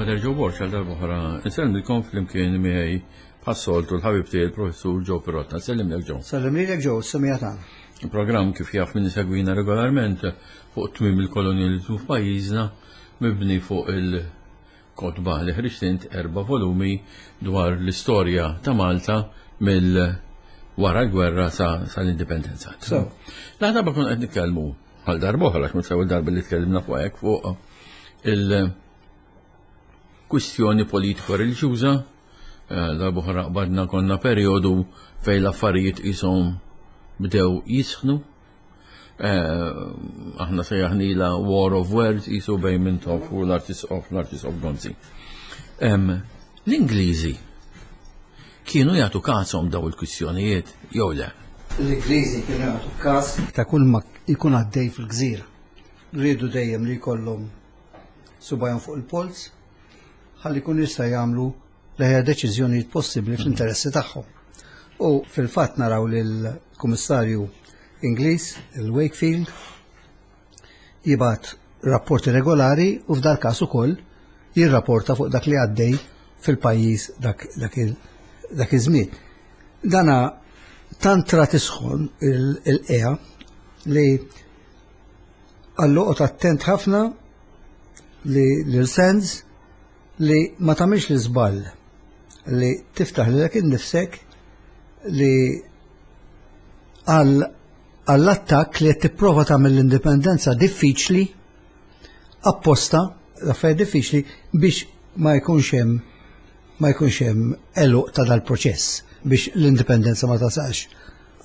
Pater Joe Borg għal darb'oħra nsellmilkom flimkien miegħi bħas-soltu l-ħabib tiegħi l-Professur Joe Pirotta. Sellimlek Joe. Sellimlek Joe, semija tagħna. Il-programm kif jaf min isegwina regolarment fuq tmiem il-kolonjalizmu f'pajjiżna mibni fuq il-kotba li ħriġt int erba' volumi dwar l-istorja ta' Malta mill wara l-gwerra sa l-indipendenza. So, Laħda kun qed nitkellmu għal darb'oħra għax mhux l-ewwel darba li tkellimna fuq hekk fuq il-kwistjoni politiko-reliġjuża eh, darb'oħra qbadna konna perjodu fejn l-affarijiet qishom bdew jisħnu. Eh, aħna sejjaħnila War of Words qisu bejn Mintoff u l-Arċisqof l-Arċisqof Gonzi. L-Ingliżi kienu jagħtu kashom daw il-kwistjonijiet jew le? L-Ingliżi kienu jagħtu kas ta' kull ma jkun għaddej fil-gżira. Riedu dejjem li jkollhom subajhom fuq il-polz ħalli jkunu jista' jagħmlu l-aħjar deċiżjonijiet possibbli fl-interessi tagħhom. U fil-fatt naraw lill-Kummissarju Ingliż, il-Wakefield, jibgħat rapporti regolari u f'dal każ ukoll jirrapporta fuq dak li għaddej fil-pajjiż dak, dak, dak iż-żmien. Dana tant tra tisħon il-qea li għallu qod attent ħafna li l-sens li ma tagħmilx l-iżball li tiftaħ lilek innifsek li għal għall-attakk li qed tipprova tagħmel l-indipendenza diffiċli apposta l-affarijiet diffiċli biex ma jkunx hemm ma jkunx hemm għeluq ta' dal-proċess biex l-indipendenza ma tasalx.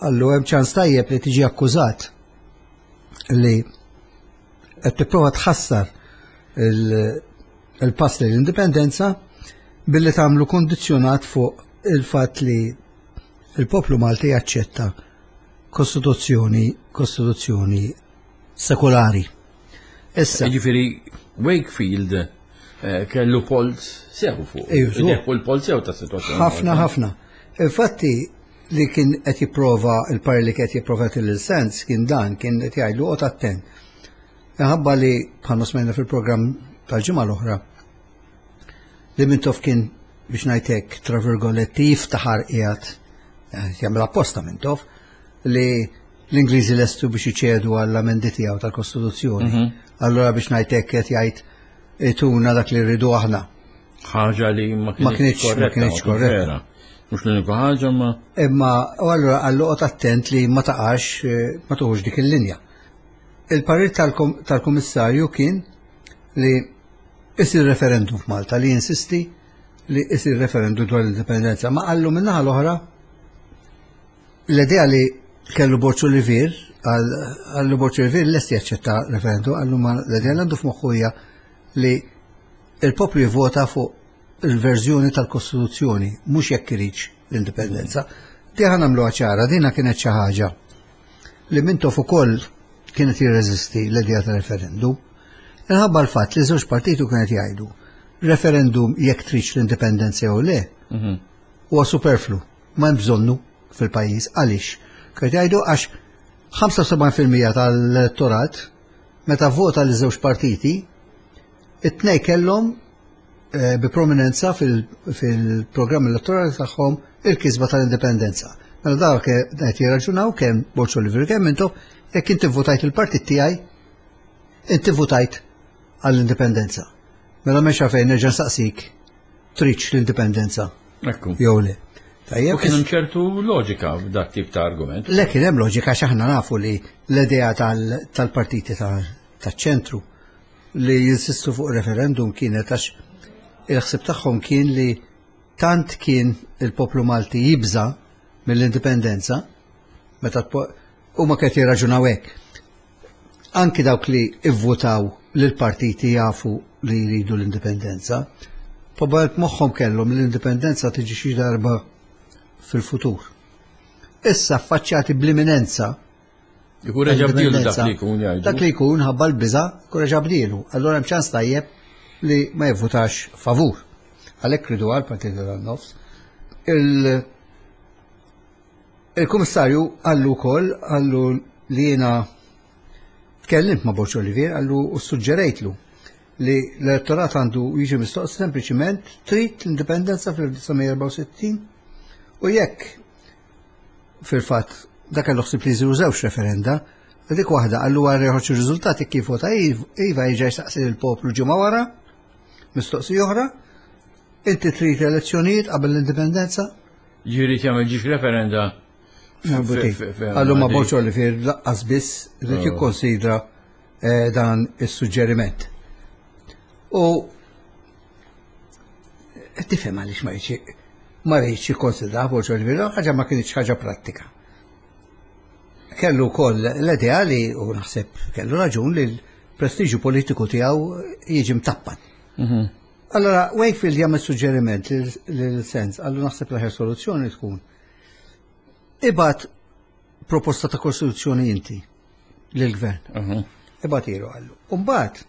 Allu hemm ċans tajjeb li tiġi akkużat li qed tipprova tħassar il-pass lejn l-indipendenza billi tagħmlu kondizzjonat fuq il-fatt li il-poplu Malti jaċċetta kostituzzjoni kostituzzjoni sekolari. Issa. Ġifieri Wakefield eh, kellu polz sew fuq. Fuq il-polz sew ta' situazzjoni. Ħafna ħafna. Infatti li kien qed jipprova il-par li qed jipprova til sens kien dan kien qed jgħidlu qgħod attent. Minħabba li bħalma smajna fil-programm tal-ġimgħa l-oħra li Mintoff kien biex ngħid tra virgoletti jiftaħar qiegħed eh, jagħmel apposta Mintoff li l-Ingliżi lestu biex iċedu għall-amendi tiegħu tal-Kostituzzjoni. Mhm. Allura biex ngħid hekk qed jgħid ituna dak li rridu aħna. Ħaġa li ma kienx ma kienx korretta. Mhux l-unika ħaġa ma. Imma u allura għallu qgħod attent li ma taqax eh, ma tuħux dik il-linja. Il-parir tal-Kummissarju kien li isir referendum f'Malta li jinsisti li isir referendum dwar l-indipendenza. Ma qallu minnaħa l-oħra l-idea li kellu Borċu Olivier, għallu Borċu Olivier lest jaċċetta referendum, għallu ma l-idea li għandu f'moħħu hija li il-poplu jivvota fuq il-verżjoni tal-Kostituzzjoni, mhux jekk iridx l-indipendenza. Di ħa nagħmluha ċara, dina kienet xi ħaġa li Mintoff ukoll kienet jirreżisti l-idea ta' referendum. Inħabba l-fatt li żewġ partitu kienet jgħidu referendum jekk tridx l-indipendenza jew le mhm. huwa superflu, ma hemm bżonnu fil-pajjiż. Għaliex? Kienet jgħidu għax 75% tal-elettorat meta vota li żewġ partiti, it-tnej kellhom eh, bi prominenza fil-programm elettorali tagħhom il-kisba tal-indipendenza. Mela dawk qed jirraġunaw kemm Borġ Oliver kemm intom jekk inti votajt il-partit tiegħi, inti votajt għall-indipendenza. Mela m'hemmx fejn nerġa' nsaqsik tridx l-indipendenza. Ekku. Jew le. Tajjeb. U kien hemm ċertu loġika f'dak tip ta' argument. Le kien hemm loġika għax aħna nafu li l-idea tal-partiti taċ-ċentru li jinsistu fuq referendum kienet għax il-ħsib tagħhom kien li tant kien il-poplu Malti jibża mill-indipendenza meta huma qed jirraġunaw hekk. Anki dawk li ivvutaw lil partiti jafu li jridu l-indipendenza, probabbilment moħħhom kellhom l-indipendenza tiġi xi darba fil-futur. Issa affaċċjati bl-imminenza Ikun reġa' bdielu dak li jkun jgħidu. Dak li jkun ħabba l-biża' ikun reġa' bdielu. Allura hemm ċans tajjeb li ma jivvutax favur. Għalhekk ridu għal partiti tan-nofs. Il-Kummissarju qallu wkoll qallu li jiena tkellimt ma' Borg Olivier qallu u suġġerejtlu li. li l-elettorat għandu jiġi mistoqsi sempliċiment trid l-indipendenza fl-1964 u jekk fil-fatt dak kellu ħsieb li jsiru żewġ referenda, dik waħda qallu wara joħroġ ir-riżultati kif vota iva jiġi jsaqsi lill-poplu ġimgħa wara, mistoqsija oħra, inti trid elezzjonijiet qabel l-indipendenza? Ġifieri jagħmel ġiex referenda. Għallu ma Borġ Olivier laqqas biss irid oh. jikkonsidra eh, dan is-suġġeriment. U tifhem għaliex ma jridx ma rridx jikkonsidra Borġ Olivier, ħaġa ma kienx ħaġa prattika. Kellu wkoll l-idea li u naħseb kellu raġun li l-prestiġju politiku tiegħu jiġi mtappan. Mhm. Allora, Wakefield jagħmel suġġeriment lil sens, għallu naħseb l-aħjar soluzzjoni tkun. Ibgħat proposta ta' kostituzzjoni inti lill-gvern. Mhm. Ibgħat ilu għallu. Umbagħad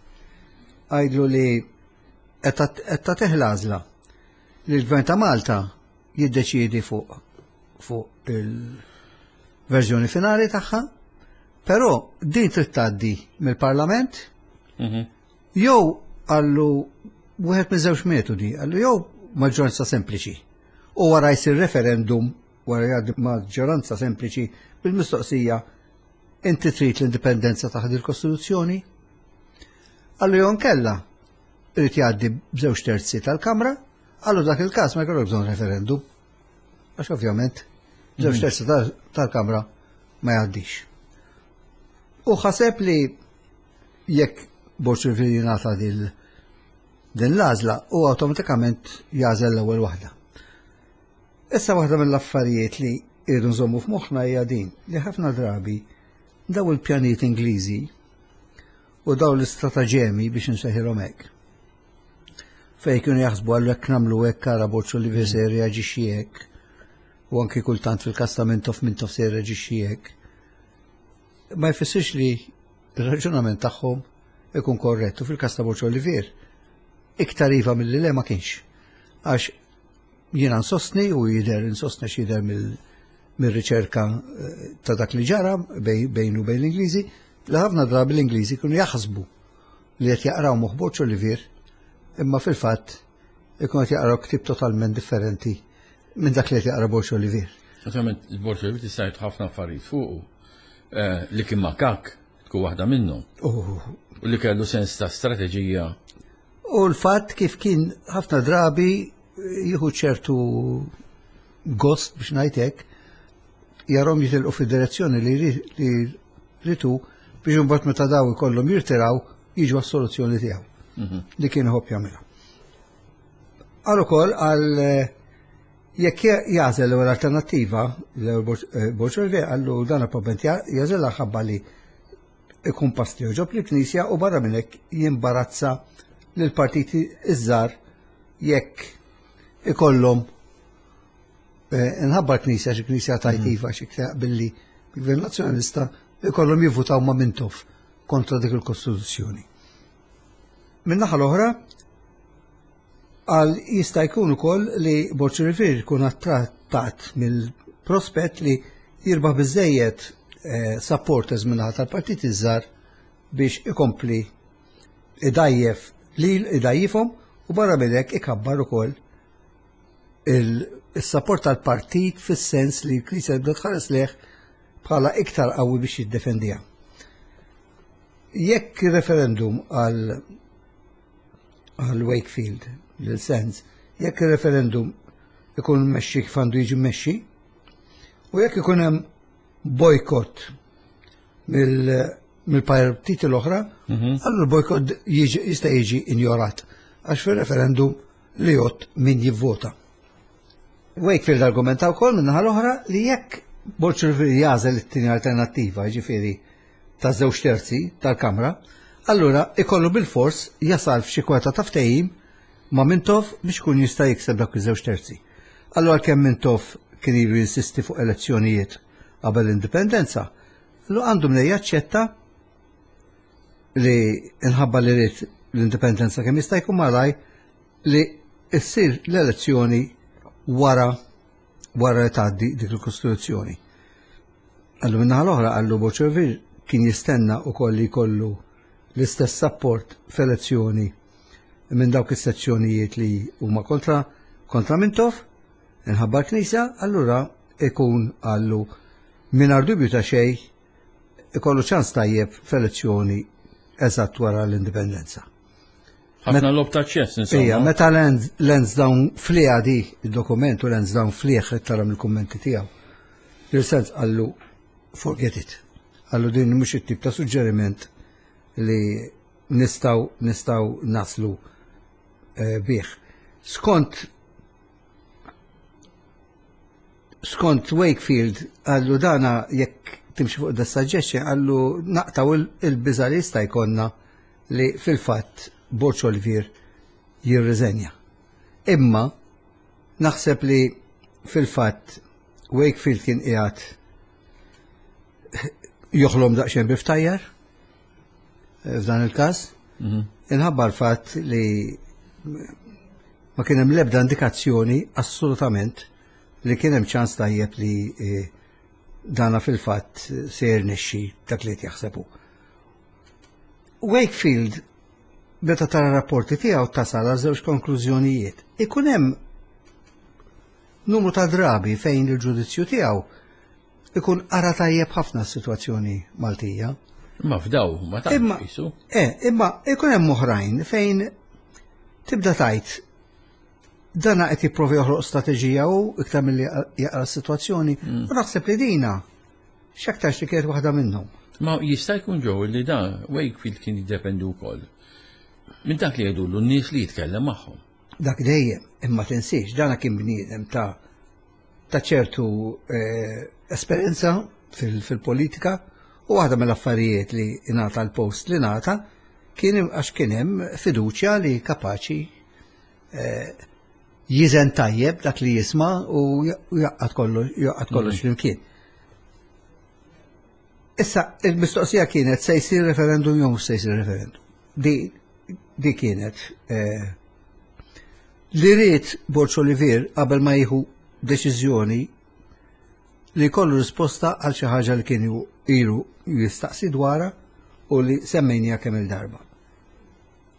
għajdlu li qed tagħtih l-għażla li l-gvern ta' Malta jiddeċiedi fuq fuq il-verżjoni finali tagħha, però din trid tgħaddi mill-Parlament mhm. jew għallu wieħed minn żewġ metodi, għallu jew maġġoranza sempliċi u wara jsir referendum wara jgħaddi maġġoranza sempliċi bil-mistoqsija inti trid l-indipendenza taħt il-Kostituzzjoni? Għallu jew nkella irid jgħaddi b'żewġ terzi tal-Kamra, għallu dak il-każ ma jkollok bżonn referendum. Għax ovvjament żewġ mhm. terzi tal-Kamra ma jgħaddix. U ħaseb li jekk Borg jingħata din l-għażla u awtomatikament jagħżel l-ewwel waħda. Issa waħda mill-affarijiet li irridu nżommu f'moħħna hija din li ħafna drabi daw il-pjanijiet Ingliżi u daw l-istrataġemi biex nsejħilhom hekk. Fej kienu jaħsbu għallu hekk nagħmlu hekk ara Borċu li se jirreaġixxi hekk u anki kultant fil-każ ta' Mintoff Mintoff se jirreaġixxi hekk. Ma jfissirx li r-raġunament tagħhom ikun korrett u fil-każ ta' Borċu Olivier iktar iva milli le ma kienx. Għax Jiena nsostni u jidher insostni x'jidher mill-riċerka eh, ta' dak li ġara bejn u bejn l-Ingliżi, li ħafna drabi l-Ingliżi kienu jaħsbu li qed jaqraw moħħ Borg Olivier, imma fil-fatt ikun qed jaqraw ktieb totalment differenti minn dak li qed jaqra Borg Olivier. Naturalment, Borg Olivier tista' jgħid ħafna affarijiet fuqu eh, li kien makak tkun waħda minnhom. Oh. U li kellu sens ta' strateġija. U l-fatt kif kien ħafna drabi jieħu ċertu gost biex ngħid hekk, jarhom jitilqu fid-direzzjoni li ritu biex imbagħad meta daw ikollhom jirtiraw jiġu għas-soluzzjoni tiegħu mhm. li kien iħobb jagħmilha. Għal ukoll għal eh, jekk jażel l-ewwel alternattiva l-ewwel eh, Borġ għallu dan probabbilment jażel ħabba li ikun pass li joġob lill-Knisja u barra minn hekk jimbarazza lill-partiti iż-żgħar jekk ikollhom eh, nħabba l-Knisja xi Knisja tajt mhm. iva xi billi il-Gvern Nazzjonalista ikollhom jivvutaw ma' Mintoff kontra dik il-Kostituzzjoni. Min-naħa l-oħra, għal jista' jkun ukoll li Borg Rivier jkun attrattat mill-prospett li jirbaħ biżejjed eh, supporters minnaħa tal-partit iż-żgħar biex ikompli idajjef lil idajjifhom u barra minn hekk ikabbar ukoll il-support tal-partit fis-sens li l-Knisja tibda tħares leh bħala iktar qawwi biex jiddefendiha. Jekk referendum għal għal Wakefield lil Sands, jekk ir-referendum ikun mmexxi kif għandu jiġi mmexxi, u jekk ikun hemm bojkott mill-partiti l-oħra, mhm. allura l-bojkott jista' jiġi injorat għax fir-referendum li jgħod min jivvota. Wakefield argumenta wkoll min-naħa l-oħra li jekk Borg jagħżel it-tieni alternattiva, jiġifieri ta' żewġ terzi tal-Kamra, allura ikollu bilfors jasal f'xi kwota ta' ftehim ma' Mintoff biex ikun jista' jikseb dawk iż-żewġ terzi. Allura għalkemm Mintoff kien ilu jinsisti fuq elezzjonijiet qabel l-indipendenza, allura għandu mnejn jaċċetta li inħabba li ried l-indipendenza kemm jista' jkun malaj li ssir l-elezzjoni wara wara li tgħaddi dik il-Kostituzzjoni. Għallu minnaħa l-oħra għallu Boċovir kien jistenna u koll li jkollu l-istess support f'elezzjoni. minn dawk is-sezzjonijiet li huma kontra kontra Mintoff, inħabba l-Knisja, allura ikun għallu mingħajr dubju ta' xejn ikollu ċans tajjeb f'elezzjoni eżatt wara l-indipendenza. Ħafna lob ta' ċess, insomma. Ija, meta Lansdowne fliha di il-dokument u Lansdowne flieħ tara mill-kummenti tiegħu. Lil-Sands qallu forget it. Qallu din mhux it-tip ta' suġġeriment li nistgħu nistgħu naslu eh, bih. Skont skont Wakefield għallu dana jekk timxi fuq da suggestion għallu naqtaw il-biża li jista' jkollna li fil-fatt Borg Olivier jirriżenja. Imma naħseb li fil-fatt Wakefield kien qiegħed joħlom daqsxejn biftajjar eh, f'dan il-każ. Mhm. Inħabba l-fatt li ma kien hemm l-ebda indikazzjoni assolutament li kien hemm ċans tajjeb li eh, dana fil-fatt se jirnexxi dak li qed jaħsebu. Wakefield meta tara rapporti tiegħu tasal għal żewġ konklużjonijiet. Ikun hemm numru ta' drabi fejn il-ġudizzju tiegħu ikun qara tajjeb ħafna s-sitwazzjoni Maltija. Imma f'daw ma tantx qisu. Eh, imma ikun hemm oħrajn fejn tibda tajt dana qed jipprovi joħloq strateġija u iktar milli jaqra s-sitwazzjoni. Mm. U naħseb li dina x'aktarx li kienet waħda minnhom. Ma jista' jkun ġew li da Wakefield kien jiddependi wkoll minn dak li jgħidulu n-nies li jitkellem magħhom. Dak dejjem, imma tinsiex, dana kien bniedem ta' ta' ċertu eh, esperjenza fil-politika u waħda mill-affarijiet li ingħata l-post li ngħata kien għax kien hemm fiduċja li kapaċi eh, jiżen tajjeb dak li jisma' u jaqqad kollox jaqqad kollox mm. flimkien. Issa, il-mistoqsija kienet se jsir referendum jew mhux se jsir referendum. Di, di kienet eh, li ried Borg Olivier qabel ma jieħu deċiżjoni li jkollu risposta għal xi ħaġa li kien ilu jistaqsi dwarha u li semmejnija kemm il-darba.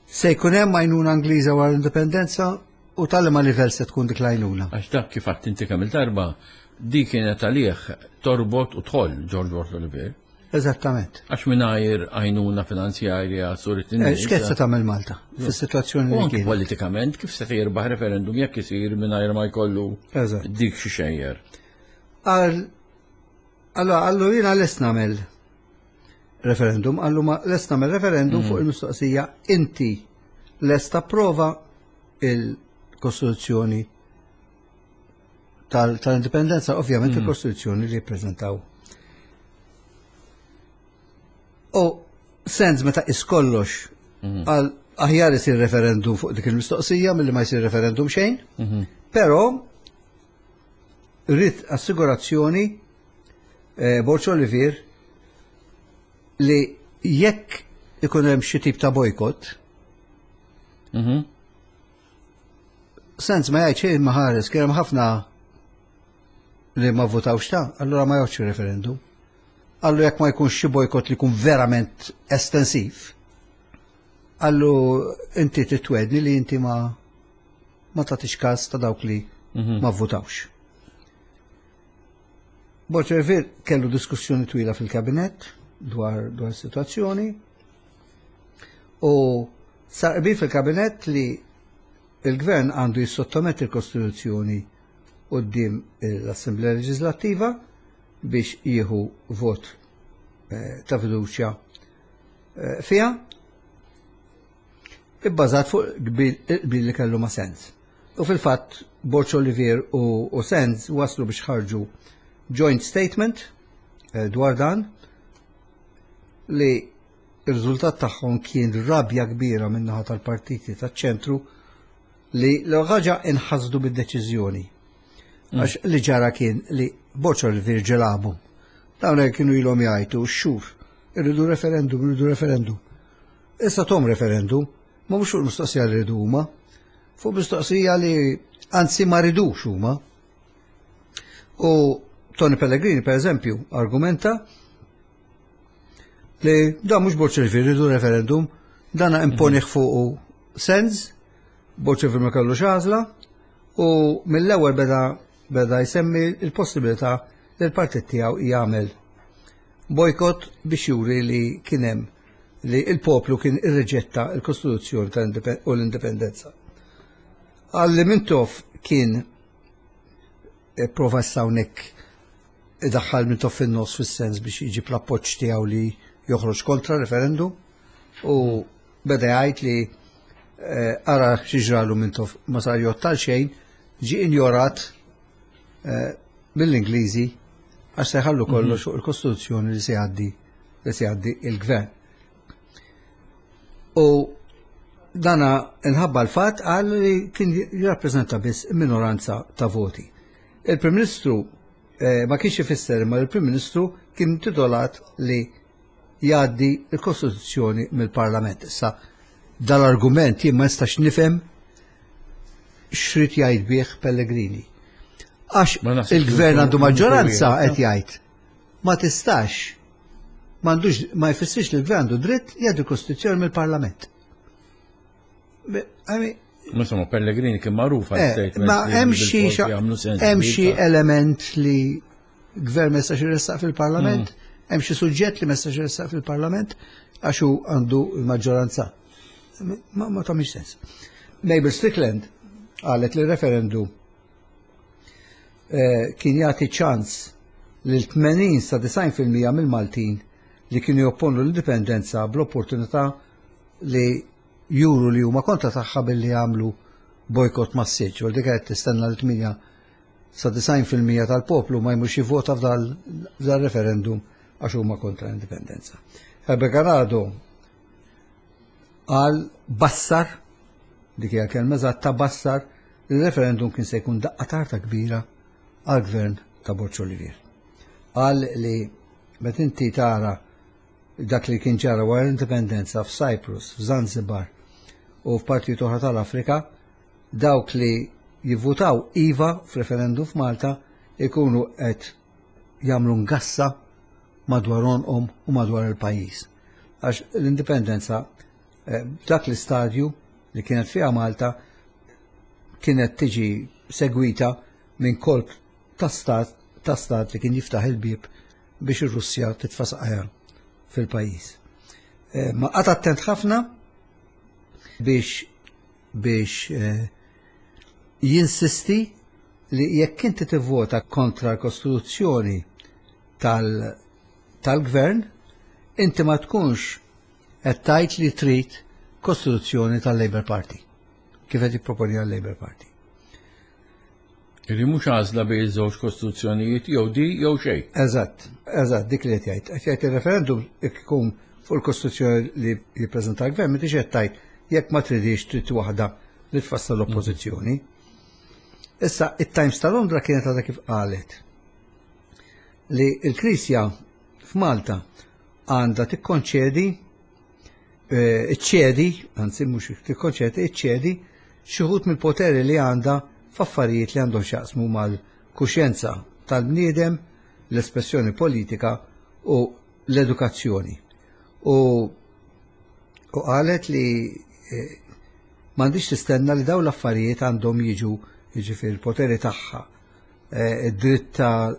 Se jkun hemm għajnuna Ingliża wara l-indipendenza u tal ma livell se tkun dik l-għajnuna. Għax dak kif għadt inti kemm il-darba, di kienet għalih torbot u tħoll George Borg Olivier. Eżattament. Għax mingħajr għajnuna finanzjarja surit eh, X'kien se tagħmel Malta fis-sitwazzjoni li kien? Politikament kif se jirbaħ referendum jekk isir mingħajr ma jkollu dik xi xejjer. Allora, għallu jiena lest nagħmel referendum, għallu ma lest nagħmel referendum mm. fuq il-mistoqsija inti lest tapprova il-Kostituzzjoni tal-indipendenza, ovvjament mm. il-Kostituzzjoni li jippreżentaw. U sens meta iskollox mm. għal aħjar isir referendum fuq dik il-mistoqsija milli ma jsir referendum xejn, mm-hmm. però rrid assigurazzjoni eh, Borċ Olivier li jekk ikun hemm xi tip ta' bojkott, mm-hmm. Sens ma jgħid xejn ma ħares kien hemm ħafna li ma votawx ta' allura ma jgħodx referendum. Allu jekk ma jkunx xi bojkott li jkun verament estensiv, allu inti titwedni li inti ma ma tagħtix każ ta' dawk li mhm. ma votawx. Borċervir kellu diskussjoni twila fil-kabinett dwar dwar situazzjoni u sar qbil fil-kabinett li il-gvern għandu jissottometti l-Kostituzzjoni quddiem l-Assemblea Leġislattiva biex jieħu vot eh, ta' fiduċja eh, fiha ibbażat fuq qbil li kellu ma' Sands. U fil-fatt Borg Olivier u, u Sands waslu biex ħarġu joint statement eh, dwar dan li il-riżultat tagħhom kien rabja kbira min-naħa tal-partiti taċ-ċentru li l-ħaġa inħasdu bid-deċiżjoni. Mm. Għax li ġara kien li Borg Olivier ġelabu. Dawn kienu ilhom jgħidu x-xhur, irridu referendum, irridu referendum. Issa tom referendum, ma mhux fuq mistoqsija li ridu huma, fuq mistoqsija li anzi ma ridux huma. U Tony Pellegrini, per eżempju, argumenta li da mhux Borg Olivier ridu referendum, dana imponih mhm. fuqu sens. Borg ma kellux għażla u mill-ewwel beda beda jsemmi l-possibilità li l-partit tiegħu jagħmel bojkott biex juri li kien hemm li l-poplu kien irriġetta l-Kostituzzjoni u l-Indipendenza. Għalli Mintoff kien prova issa hawnhekk idaħħal Mintoff fin-nofs fis-sens biex iġib l-appoġġ tiegħu li joħroġ kontra referendum u beda jgħid li eh, ara xi ġralu Mintoff ma sar jgħod xejn ġie injorat eh, mill-Ingliżi għax se jħallu kollox fuq il-Kostituzzjoni li se jgħaddi li se jgħaddi il-gvern. U dana inħabba l-fatt għal li kien jirrappreżenta biss minoranza ta' voti. Il-Prim Ministru eh, ma kienx ifisser imma l-Prim Ministru kien titolat li jgħaddi l-Kostituzzjoni mill-Parlament. Issa dal-argument jien ma nistax nifhem xrid jgħid bih Pellegrini. Għax il-gvern għandu maġġoranza qed jgħid ma tistax m'għandux ma jfissirx li l-gvern għandu dritt jgħaddi l-Kostituzzjoni mill-Parlament. Insomma, Pellegrini kien magħruf għal eh, statement. Ma hemm xi hemm xi element li gvern ma jistax iressaq fil-Parlament, mm. hemm xi suġġett li ma jistax iressaq fil-Parlament għax hu għandu l-maġġoranza. Ma ma tagħmilx sens. Mabel Strickland qalet li referendum eh, kien jagħti ċans lil 80 sa 90% mill-Maltin li kienu jopponu l-indipendenza bl-opportunità li juru li huma kontra tagħha billi jagħmlu bojkott massiċ. U dik qed tistenna li 8 sa 90% tal-poplu ma jmurx jivvota f'dal referendum għax huma kontra l-indipendenza. Herbert Ganado qal bassar, dik hija kelma eżatta bassar, li referendum kien se jkun daqqa tarta kbira għall-gvern ta' Borg Olivier. Qal li meta inti tara dak li kien ġara wara l-indipendenza f'Cyprus, f'Zanzibar u f'partijiet oħra tal-Afrika, dawk li jivvutaw iva f'referendum f'Malta ikunu qed jagħmlu ngassa madwar għonqhom u madwar il-pajjiż. Għax l-indipendenza eh, dak l-istadju li kienet fiha Malta kienet tiġi segwita minn kolp ta' stat ta' stat li kien jiftaħ il-bieb biex ir-Russja titfa' saqajha fil-pajjiż. Eh, ma qgħad attent ħafna biex biex eh, jinsisti li jekk inti tivvota kontra l-Kostituzzjoni tal-gvern, inti ma tkunx qed tgħid li trid Kostituzzjoni tal-Labour Party, kif qed jipproponi għal-Labour Party. Li mhux għażla bejn iż-żewġ kostituzzjonijiet jew di jew xejn. Eżatt, eżatt, dik li qed jgħid. Qed jgħid il-referendum ikun fuq il-kostituzzjoni li jippreżenta l-gvern, m'intix qed tgħid jekk ma tridix trid waħda li tfassal l-oppożizzjoni. Issa, it-Times ta' Londra kienet għadha kif qalet li l-Knisja f'Malta għandha tikkonċedi eh, iċċedi, anzi mhux tikkonċedi, iċċedi xi wħud mill-poteri li għandha f'affarijiet li għandhom x'jaqsmu mal-kuxjenza tal-bniedem, l-espressjoni politika u l-edukazzjoni. U u qalet li eh, m'għandix tistenna li dawn l-affarijiet għandhom jiġu jiġifieri l-poteri tagħha, eh, id-dritt ta'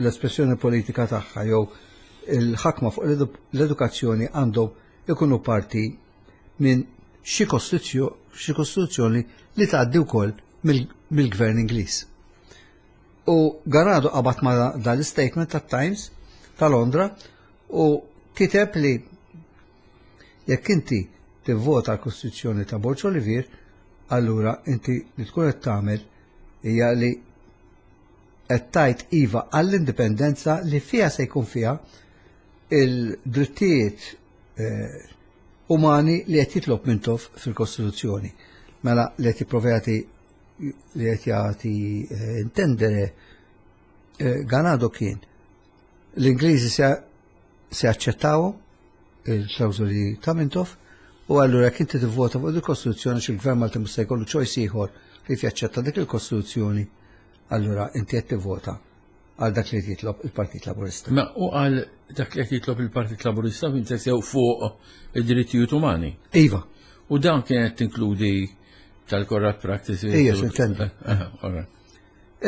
l-espressjoni politika tagħha jew il-ħakma fuq l-edukazzjoni għandhom ikunu parti minn xi kostituzzjoni li tgħaddi wkoll mill-gvern Ingliż. U Ganado qabad ma' dal-statement tat-Times ta' Londra u kiteb li jekk inti tivvota l-Kostituzzjoni ta' Borg Olivier, allura inti li tkun qed tagħmel hija li qed tgħid iva għall-indipendenza li fiha se jkun fiha il-drittijiet eh, umani li qed jitlob Mintoff fil-Kostituzzjoni. Mela li qed jipprova jagħti li qed jagħti eh, intendere eh, Ganado kien l-Ingliżi se se jaċċettaw il-klawżoli ta' Mintoff u allura jekk inti tivvota fuq il-Kostituzzjoni x'il-Gvern Malti mhux se jkollu choice ieħor li jaċċetta dik il-Kostituzzjoni, allura inti qed tivvota għal dak li jitlob il-Partit Laburista. Ma u għal dak li qed jitlob il-Partit Laburista fin sew fuq id-drittijiet umani. Iva. U dan kienet tinkludi Tal-corrupt practices. Ija, s'intendi.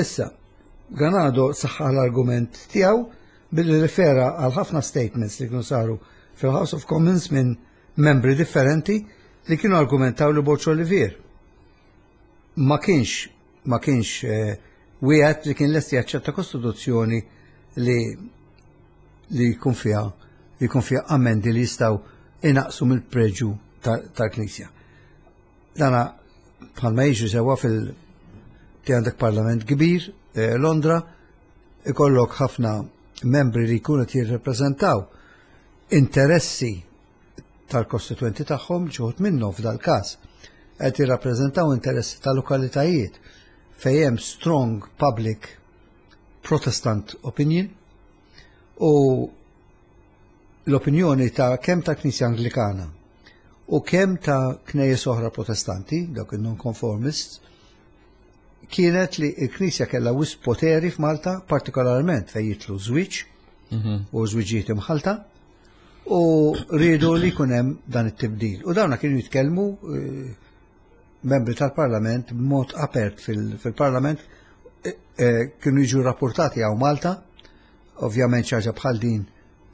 Issa, Ganado saħħaħ l-argument tiegħu billi rifera għal ħafna statements li kienu saru fil-House of Commons minn membri differenti li kienu argumentaw li Borg Olivier ma kienx ma kienx eh, wieħed li kien lesti jaċċetta kostituzzjoni li li jkun fiha li jkun fiha amendi li jistgħu inaqsu mill-preġu tal-Knisja. Dana bħalma jiġri sewwa fil ti għandek parlament kbir, eh, Londra, ikollok ħafna membri li jkunu qed jirrepreżentaw interessi tal-kostituenti tagħhom ġuħut minnhom f'dal-każ qed jirrappreżentaw interessi ta' lokalitajiet fejn hemm strong public Protestant opinion u l-opinjoni ta' kemm ta' Knisja Anglikana u kemm ta' knejjes oħra Protestanti, dawk il-nonconformists, kienet li l-Knisja kellha wisq poteri f'Malta, partikolarment fejn jitlu żwieġ u żwiġijiet imħalta, u riedu li jkun hemm dan it-tibdil. U dawna kienu jitkellmu eh, membri tal-Parlament b'mod apert fil-Parlament eh, eh, kienu jiġu rapportati għaw Malta, ovvjament xaġa bħal din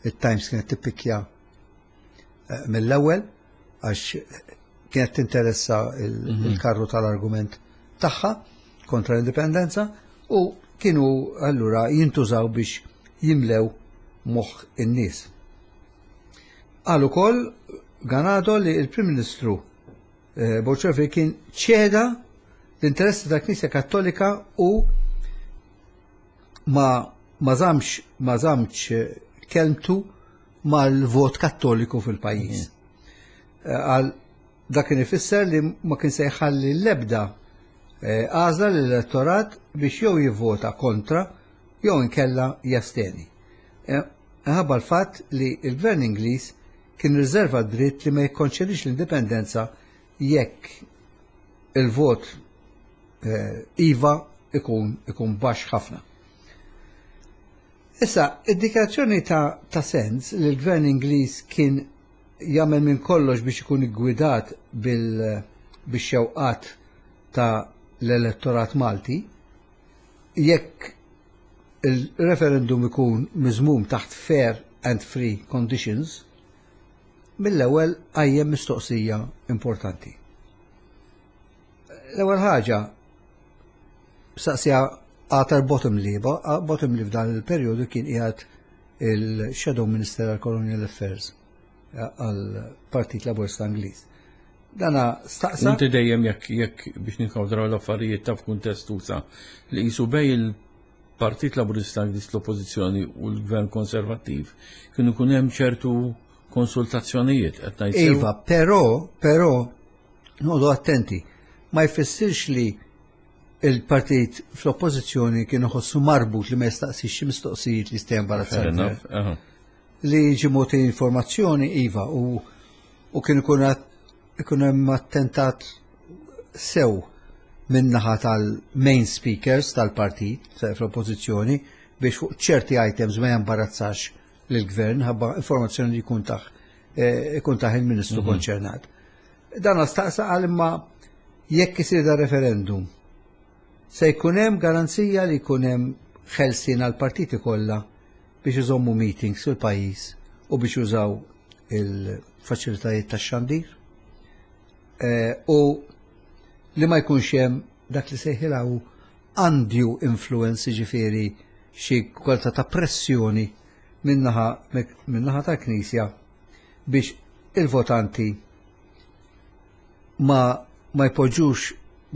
it-Times kienet tippikja eh, mill-ewwel għax kienet tinteressa mhm. il-karru tal-argument tagħha kontra l-indipendenza u kienu allura jintużaw biex jimlew moħħ in-nies. Qal ukoll Ganado li l-Prim Ministru eh, Bolsonaro kien ċeda l-interessi tal-Knisja Kattolika u ma ma żamx ma żamx eh, kelmtu mal-vot kattoliku fil-pajjiż. Mhm. Eh, għal dak kien ifisser li ma kien se jħalli l-ebda għażla l-elettorat biex jew jivvota kontra jew inkella jasteni. Ħabba l-fatt li l-Gvern Ingliż kien riserva d-dritt li ma jikkonċedix l-indipendenza jekk il-vot eh, iva ikun ikun baxx ħafna. Issa, id-dikjarazzjoni ta', ta sens li l-gvern Ingliż kien jagħmel minn kollox biex ikun iggwidat bil-xewqat ta' l-elettorat Malti, jekk il-referendum ikun miżmum taħt fair and free conditions, mill-ewwel qajjem mistoqsija importanti. L-ewwel ħaġa saqsija Arthur Bottomley, Bottomley f'dan il-perjodu kien qiegħed il-Shadow Minister għal Colonial Affairs għal Partit Laburista Ingliż. Dana staqsa. Inti dejjem jekk jekk biex ninkawdraw l-affarijiet ta' f'kuntest usa li qisu bej il-Partit Laburista Ingliż l-Oppożizzjoni u l-Gvern Konservattiv kienu jkun hemm ċertu konsultazzjonijiet qed ngħid. Iva, però, però, noqogħdu attenti, ma jfissirx li il-partit fl-oppożizzjoni kienu ħossu marbut li ma jistaqsix xi mistoqsijiet li jista' jembarazza. Li jiġi mogħti informazzjoni iva u u kien ikun ikun hemm attentat sew min-naħa tal-main speakers tal-partit fl-oppożizzjoni biex fuq ċerti items ma jembarazzax lill-gvern ħabba informazzjoni li jkun taħ eh, ikun taħ il-ministru mhm. konċernat. Dan staqsa għal imma jekk isir da referendum se jkun hemm garanzija li jkun hemm ħelsien għal partiti kollha biex iżommu meetings fil-pajjiż u biex jużaw il-faċilitajiet tax-xandir eh, u li ma jkunx hemm dak li sejħilha hu undue influence jiġifieri xi kwalità ta' pressjoni min-naħa min-naħa tal-Knisja biex il-votanti ma ma jpoġġux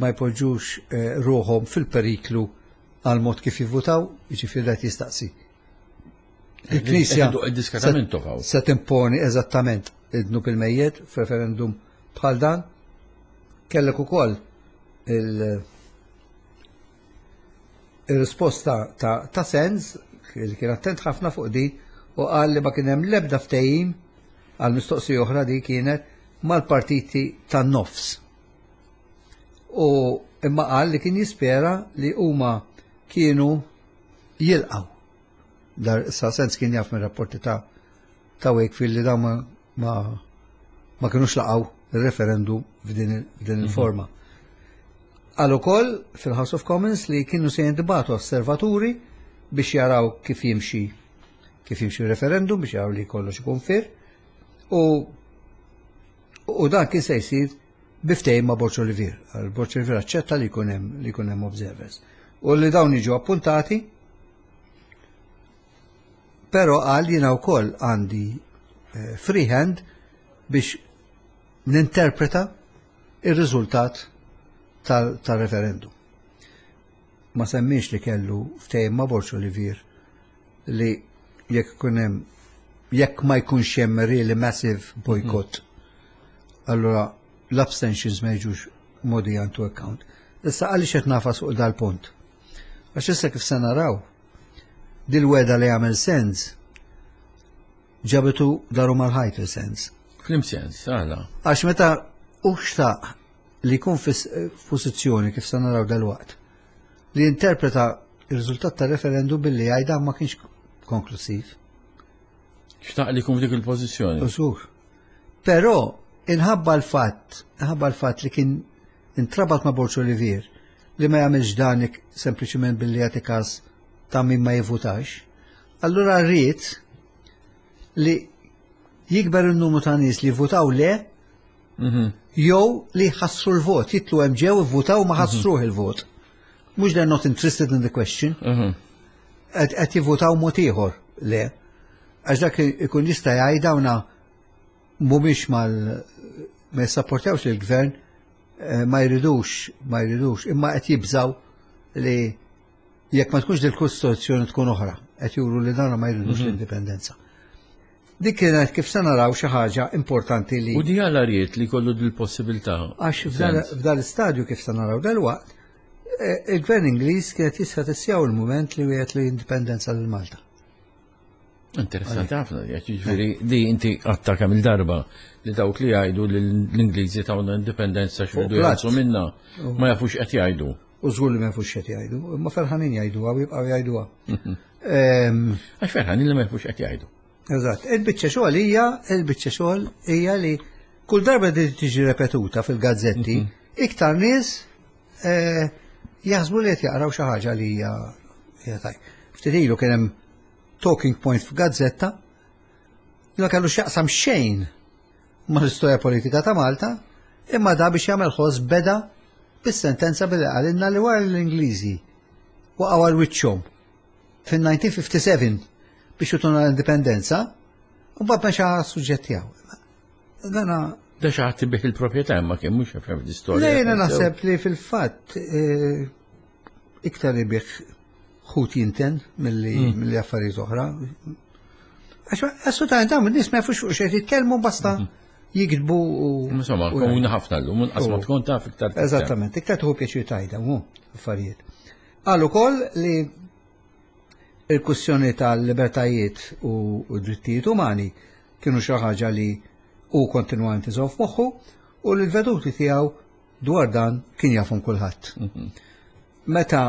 ma jpoġġux eh, ruħhom fil-periklu għal mod kif jivvutaw, jiġifieri qed jistaqsi. Il-Knisja se timponi eżattament id-dnub il-mejjet f'referendum bħal dan. Kellek ukoll il-risposta ta', ta Sens li kien attent ħafna fuq di u qal li ma kien hemm l-ebda ftehim għal mistoqsija oħra di kienet mal-partiti tan-nofs. U imma qal li kien jispera li huma kienu jilqaw. Dar sa sens kien jaf minn rapporti ta' ta' Wakefield li dawn ma, ma, ma kinux laqgħu il-referendum f'din mhm. il-forma. Qal ukoll fil-House of Commons li kienu se jintbagħtu osservaturi biex jaraw kif jimxi kif jimxi referendum biex jaraw li kollox ikun fair u u dan kien se jsir bi ftehim ma' Borg Olivier. Borg Olivier aċċetta li jkun hemm li jkun hemm observers. U li dawn jiġu appuntati però qal jiena wkoll għandi eh, free hand biex ninterpreta ir-riżultat tal-referendum. Ma semmiex li kellu ftehim ma' Borg Olivier li jekk ikun hemm jekk ma jkunx hemm really massive boycott, allura l-abstentions ma jiġux mogħdija into account. Issa għaliex qed nagħfas fuq dal-punt? Għax issa kif se naraw, dil-wegħda li għamel Sands ġabitu daru mal-ħajt il-Sands. F'liem sens, għala? Għax meta u xtaq li jkun f'pożizzjoni kif se naraw dal-waqt li interpreta il-riżultat tal-referendum billi jgħidha ma kienx konklusiv. Xtaq li jkun f'dik il-pożizzjoni. Żgur. Però inħabba l-fatt, inħabba l-fatt li kien intrabat ma' Borg Olivier li ma jagħmilx dan sempliċement billi jagħti każ ta' min ma jivvutax, allura rrid li jikber il-numru ta' nies li votaw le jew li ħassru l-vot, jitlu hemm ġew ivvutaw ma ħassruh il-vot. Mhux they're not interested in the question. Qed jivvutaw mod ieħor le. Għax dak ikun jista' jgħid dawna mhumiex mal ma jissapportjawx il-gvern eh, ma jridux, ma jridux, imma qed jibżaw li jekk ma tkunx dil-kostituzzjoni tkun oħra, qed juru li dawna ma jridux l-indipendenza. Dik kienet kif se naraw xi ħaġa importanti li U di għala ried li kollu dil-possibilità. Għax f'dal istadju kif se naraw dal-waqt, eh, il-gvern Ingliż kienet jista' tissjaw il-mument li wieħed li indipendenza lil Malta. Interessanti ħafna, jiġifieri di inti għatta kemm il-darba li dawk li jgħidu li l-Ingliżi tawna indipendenza x'ridu platt. jgħidu minna ma jafux qed jgħidu. U żgur li ma jafux x'qed jgħidu, imma ferħanin jgħiduha u jibqgħu jgħiduha. Ehm, Għax ferħanin li ma jafux qed jgħidu. Eżatt, il-biċċa xogħol hija, il-biċċa xogħol hija li kull darba li tiġi repetuta fil-gazzetti, iktar nies eh, jaħsbu li qed jaqraw xi ħaġa li hija hija taj. Ftit ilu kien hemm talking point f'gazzetta li ma kellu x'jaqsam xejn mal-istorja politika ta' Malta, imma da biex jagħmel ħoss beda bis-sentenza billi qalilna li wara l-Ingliżi waqgħu għal wiċċhom fin-1957 biex jutuna l-indipendenza, u mbagħad mexa suġġett tiegħu. Dana Da xi ħadd ibigħ il-proprjetà imma kien mhux jaf l-istorja. Le, jiena naħseb li fil-fatt eh, iktar ibigħ ħut jinten milli milli affarijiet oħra. Għax assolutament dawn in-nies ma jafux fuq xejn jitkellmu basta jiktbu u. Insomma, komuni ħafna llum, inqas ma tkun taf iktar. tifhem. Eżattament, iktar tieħu pjaċir tajda, hu affarijiet. Qal ukoll li il-kwistjoni tal-libertajiet u u drittijiet umani kienu xi ħaġa li hu kontinwament iżomm f'moħħu u li l-veduti tiegħu dwar dan kien jafhom kulħadd. Meta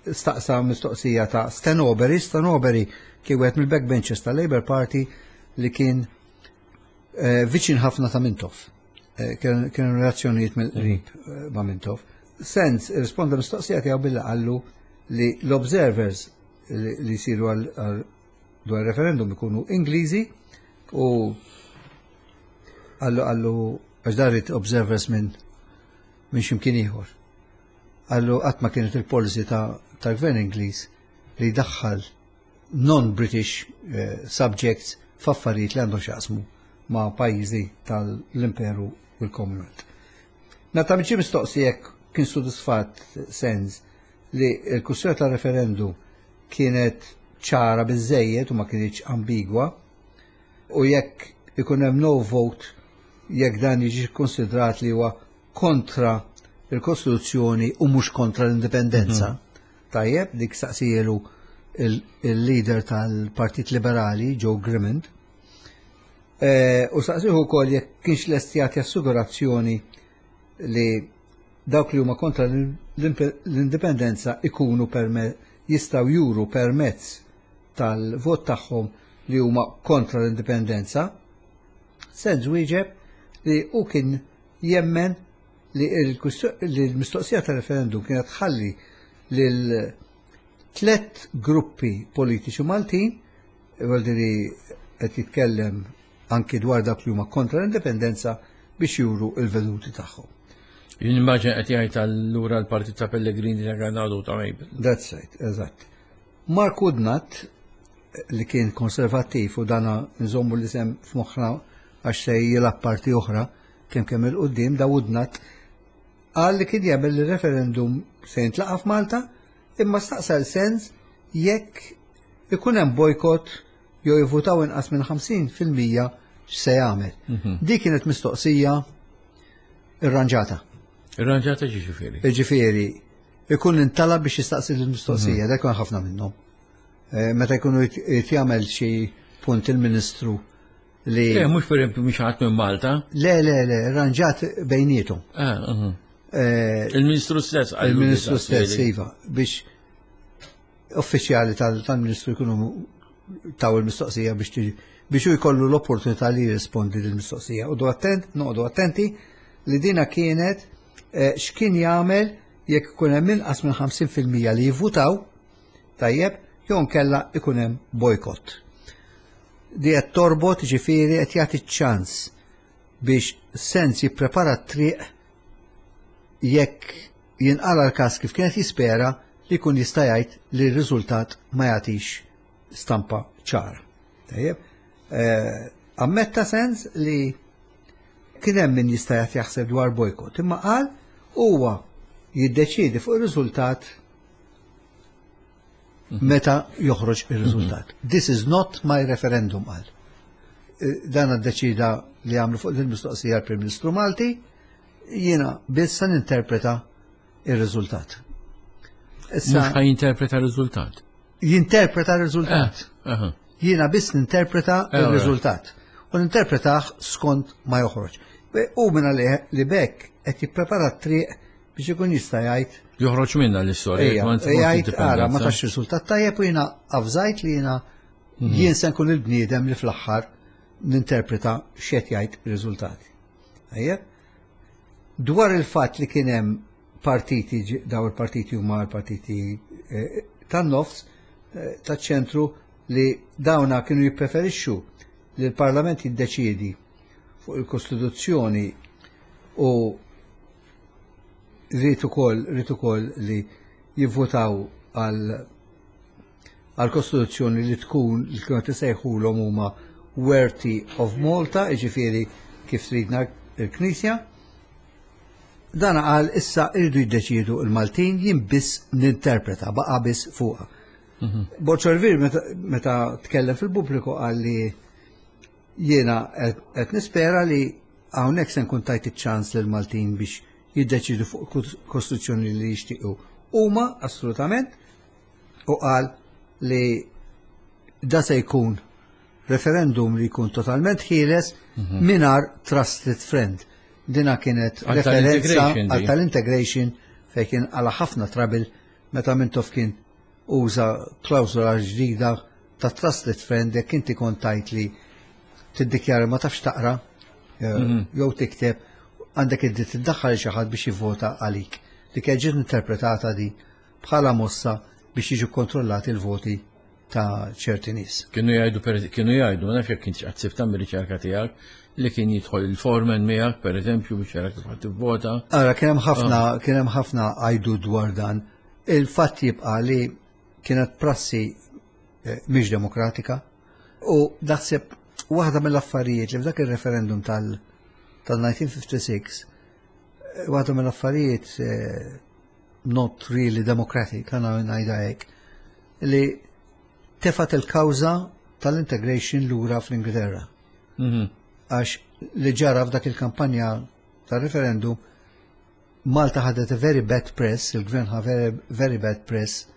staqsa mistoqsija ta' Stan Overy, Stan Overy kien wieħed mill-backbenchers tal-Labour Party li kien eh, viċin ħafna ta' Mintoff. Eh, Kienu relazzjonijiet mill-qrib eh, ma' Mintoff. Sands irrisponda mistoqsija tiegħu billi qallu li l-observers li li jsiru għal għal dwar referendum ikunu Ingliżi u qallu qallu għax darit observers minn minn x'imkien ieħor. Qallu qatt ma kienet il-policy ta' tal-gvern Ingliż li jdaħħal non-British eh, subjects f'affarijiet li għandhom x'jaqsmu ma' pajjiżi tal-Imperu u l-Commonwealth. Meta ġie mistoqsi jekk kien sodisfatt Sands li l-kwistjoni tal-referendum kienet ċara biżejjed u ma kienx ambigwa u jekk ikun hemm no vote jekk dan jiġi konsidrat li huwa kontra il-Kostituzzjoni u mhux kontra l-indipendenza. Tajjeb, dik staqsielu il-leader tal-Partit Liberali, Joe Grimond. Eh, U staqsieh ukoll jekk kienx lest jagħti assigurazzjoni li dawk li huma kontra l-indipendenza ikunu jistgħu juru permezz tal-vot tagħhom li huma kontra l-indipendenza. Sands wieġeb li hu kien jemmen li l-mistoqsija ta' referendum kienet tħalli lil tlett gruppi politiċi Maltin, li qed jitkellem anki dwar dak li huma kontra l-indipendenza biex juru il-veduti tagħhom. Jien immaġina qed jgħid allura l-partit ta' Pellegrini ta' Granado ta' Mabel. That's right, eżatt. Mark Woodnut li kien konservattiv u dana nżommu l-isem f'moħħna għax se jilgħab parti oħra kemm kemm il-qudiem da Woodnut qal li kien jemmen li referendum se jintlaqa' f'Malta imma staqsa l-sens jekk ikun hemm bojkott jew jivvutaw inqas minn 50% x'se jagħmel. Dik kienet mistoqsija irranġata. Irranġata ġifieri. Ġifieri, ikun intalab biex jistaqsi l-mistoqsija, dak ikun ħafna minnhom. Eh, meta jkunu jagħmel xi punt il-Ministru li. Le, mhux per esempio mhux ħadd minn Malta. Le, le, le, rranġat bejnietom. Ah, mhm. eh, Il-Ministru stess. Il-Ministru stess, iva, biex uffiċjali tal-Ministru jkunu taw il-mistoqsija biex tiġi biex hu jkollu l-opportunità li jirrispondi lill-mistoqsija. U attent, noqogħdu attenti li dina kienet eh, x'kien jagħmel jekk ikun hemm inqas minn 50% li jivvutaw tajjeb jew nkella ikun hemm bojkott. Di qed torbot ġifieri qed jagħti ċans biex sens jipprepara t-triq jekk jinqala l-każ kif kienet jispera li jkun jista' jgħid li r-riżultat ma jagħtix stampa ċara. Tajjeb, eh, ammetta sens li kien hemm min jista' jagħti jaħseb dwar bojkott, imma qal huwa jiddeċiedi fuq ir-riżultat meta joħroġ ir-riżultat. This is not my referendum qal. Eh, dan ddeċida li għamlu fuq il-mistoqsija l-Prim Ministru Malti, jiena biss se ninterpreta ir-riżultat. Issa Mhux jinterpreta r-riżultat. Jinterpreta r-riżultat. Eh, jiena biss ninterpreta eh, r-riżultat. U ninterpretah skont ma joħroġ. U minna li bekk qed jipprepara t-triq biex ikun jista' jgħid. Joħroġ minna l-istorja. Jgħid ara ma tax riżultat tajjeb u jiena avżajt li jiena mhm. jien se nkun il-bniedem li fl-aħħar ninterpreta x'qed jgħid ir-riżultati. Tajjeb? Dwar il-fatt li kien hemm partiti, daw il-partiti huma l-partiti eh, tan-nofs, eh, taċ-ċentru li dawna kienu jippreferixxu li l-Parlament jiddeċiedi fuq il-Kostituzzjoni u rrid ukoll rrid ukoll li jivvotaw għal għal kostituzzjoni li tkun li kienu tisejħulhom huma Worthy of Malta, jiġifieri kif tridna l-Knisja. Dan qal issa irridu jiddeċiedu l-Maltin jien biss ninterpreta, baqa' biss fuqha. Mhm. Borg Olivier meta tkellem fil-pubbliku qal li jiena qed nispera li hawnhekk se nkun tajt iċ-ċans lil Maltin biex jiddeċidu fuq kostituzzjoni li jixtiequ. Huma assolutament u qal li da se jkun referendum li jkun totalment ħieles mhm. minar trusted friend. Dina kienet referenza għal tal-integration fejn kien għala ħafna trabil meta Mintoff kien uża klawżola ġdida ta' trusted friend jekk inti kont tajt li tiddikjara ma tafx taqra eh, mhm. jew tikteb għandek id-dritt tiddaħħal xi ħadd biex jivvota għalik. Li kien ġiet interpretata di bħala mossa biex jiġu kontrollati l-voti ta' ċerti nies. Kienu jgħidu, kienu jgħidu, ma nafx jekk kienx qatt sibta mir-riċerka tiegħek, li kien jidħol il-foreman miegħek, per eżempju, biex jara kif ħadd tivvota. Ara, kien hemm ħafna, ah. kien hemm ħafna għajdu dwar dan. Il-fatt jibqa' li kienet prassi eh, mhix demokratika u naħseb waħda mill-affarijiet li f'dak ir-referendum tal-1956 eh, waħda mill-affarijiet eh, not really democratic, għana ngħidha hekk, li tefat il-kawża tal-integration lura fl-Ingilterra. Mhm. Għax li ġara f'dak il-kampanja tal-referendum, Malta ħadet a very bad press, il-gvern ħa very, very bad press